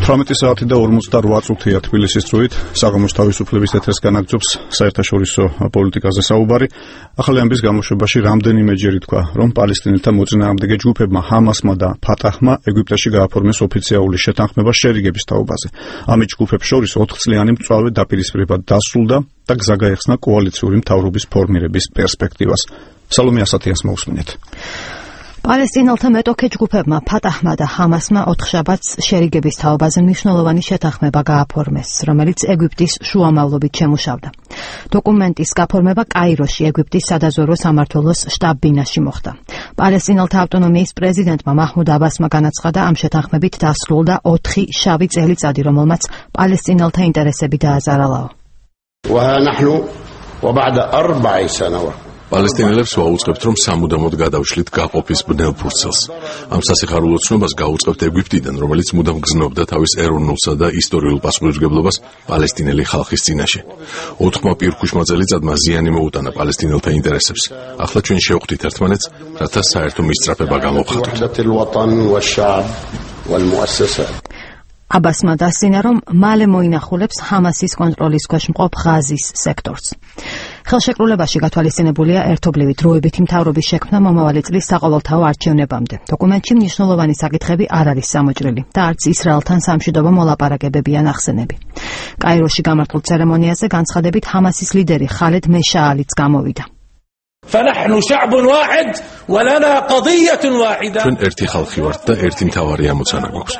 18 საათი და 48 წუთია თბილისის დროით საღამოს თავისუფლების ეთერს განაგრძობს საერთაშორისო პოლიტიკაზე საუბარი. ახალი ამბის გამოშვებაში რამდენიმეჯერ თქვა, რომ პალესტინელთა მოწინააღმდეგე ჯგუფებმა ჰამასმა და ფატაჰმა ეგვიპტეში გააფორმეს ოფიციალური შეთანხმება შერიგების თაობაზე. ამ ჯგუფებს შორის 4 წლიანი მწვავე დაპირისპირება დასრულდა და გზა გაეხსნა კოალიციური მთავრობის ფორმირების პერსპექტივას. სალომე ასათიანს მოусმინეთ. პალესტინელთა მეტოქე ჯგუფებმა ფატაჰმა და ჰამასმა 4 შაბათს შერიგების თაობაზე მნიშვნელოვანი შეთანხმება გააფორმეს, რომელიც ეგვიპტის შუამავლობით შემუშავდა. დოკუმენტის გაფორმება კაიროში, ეგვიპტის სადაზვერვო სამმართველოს შტაბ-ბინაში მოხდა. პალესტინელთა ავტონომიის პრეზიდენტმა მაჰმუდ აბასმა განაცხადა, ამ შეთანხმებით დასრულდა 4 შავი წელიწადი, რომელმაც პალესტინელთა ინტერესები დააზარალაო. პალესტინელებს ვაუწყებთ, რომ სამუდამოდ გადავშლით გაყოფის ბნელ ფურცელს. ამ სასიხარულო ცნობას გაუწყებთ ეგვიპტიდან, რომელიც მუდამ გზნობდა თავის ეროვნულსა და ისტორიულ პასუხისმგებლობას პალესტინელი ხალხის წინაშე. 4 პირქუშმა წელიწადმა ზიანი მოუტანა პალესტინელთა ინტერესებს. ახლა ჩვენ შევხვდით ერთმანეთს, რათა საერთო მისწრაფება გამოვხატოთ. აბასმა დასძინა, რომ მალე მოინახულებს ჰამასის კონტროლის ქვეშ მყოფ ღაზის სექტორს. ხელშეკრულებაში გათვალისწინებულია ერთობლივი დროებითი მთავრობის შექმნა მომავალი წლის საყოველთაო არჩევნებამდე. დოკუმენტში მნიშვნელოვანი საკითხები არ არის სამოჭრილი და არც ისრაელთან სამშვიდობო მოლაპარაკებები ან ახსენები. კაიროში გამართულ ცერემონიაზე განცხადებით ჰამასის ლიდერი ხალედ მეშაალიც გამოვიდა. ჩვენ ერთი ხალხი ვართ და ერთი მთავარი ამოცანა გვაქვს.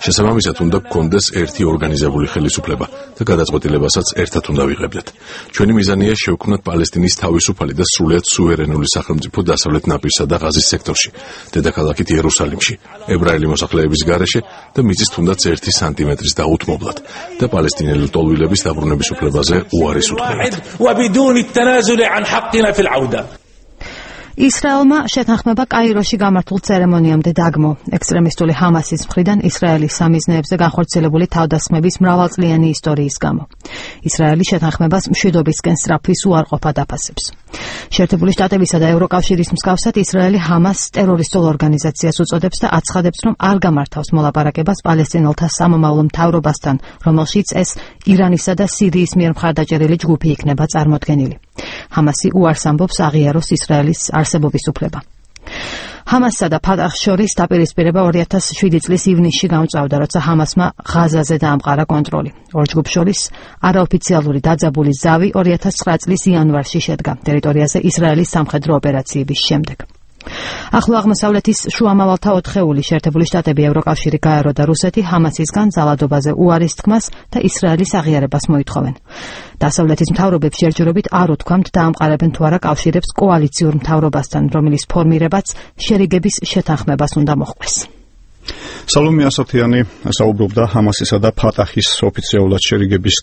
შესაბამისად უნდა გქონდეს ერთი ორგანიზებული ხელისუფლება და გადაწყვეტილებასაც ერთად უნდა ვიღებდეთ. ჩვენი მიზანია შევქმნათ პალესტინის თავისუფალი და სრულიად სუვერენული სახელმწიფო დასავლეთ ნაპირსა და ღაზის სექტორში, დედაქალაქით იერუსალიმში, ებრაელი მოსახლეების გარეშე და მიწის თუნდაც 1 სანტიმეტრის დაუთმობლად და პალესტინელი ლტოლვილების დაბრუნების უფლებაზე უარის უთხრებით. ისრაელმა შეთანხმება კაიროში გამართულ ცერემონიამდე დაგმო. ექსტრემისტული ჰამასის მხრიდან ისრაელის სამიზნეებზე განხორციელებული თავდასხმების მრავალწლიანი ისტორიის გამო. ისრაელი შეთანხმებას მშვიდობისკენ სწრაფვის უარყოფად აფასებს. შეერთებული შტატებისა და ევროკავშირის მსგავსად ისრაელი ჰამასს ტერორისტულ ორგანიზაციას უწოდებს და აცხადებს, რომ არ გამართავს მოლაპარაკებას პალესტინელთა სამომავლო მთავრობასთან, რომელშიც ეს ირანისა და სირიის მიერ მხარდაჭერილი ჯგუფი იქნება წარმოდგენილი. ჰამასი უარს ამბობს აღიაროს ისრაელის არსებობის უფლება. ჰამასსა და ფატაჰს შორის დაპირისპირება 2007 წლის ივნისში გამწვავდა, როცა ჰამასმა ღაზაზე დაამყარა კონტროლი. ორ ჯგუფს შორის არაოფიციალური დაძაბული ზავი 2009 წლის იანვარში შედგა ტერიტორიაზე ისრაელის სამხედრო ოპერაციების შემდეგ. ახლო აღმოსავლეთის შუამავალთა 4 შეერთებული შტატები, ევროკავშირი, გაერო და რუსეთი ჰამასისგან ძალადობაზე უარის თქმას და ისრაელის აღიარებას მოითხოვენ. დასავლეთის მთავრობებს ჯერჯერობით არ უთქვამთ დაამყარებენ თუ არა კავშირებს კოალიციურ მთავრობასთან, რომელიც ფორმირებაც შერიგების შეთანხმებას უნდა მოჰყვეს. სალომე ასათიანი საუბრობდა ჰამასისა და ფატაჰის ოფიციალურად შერიგების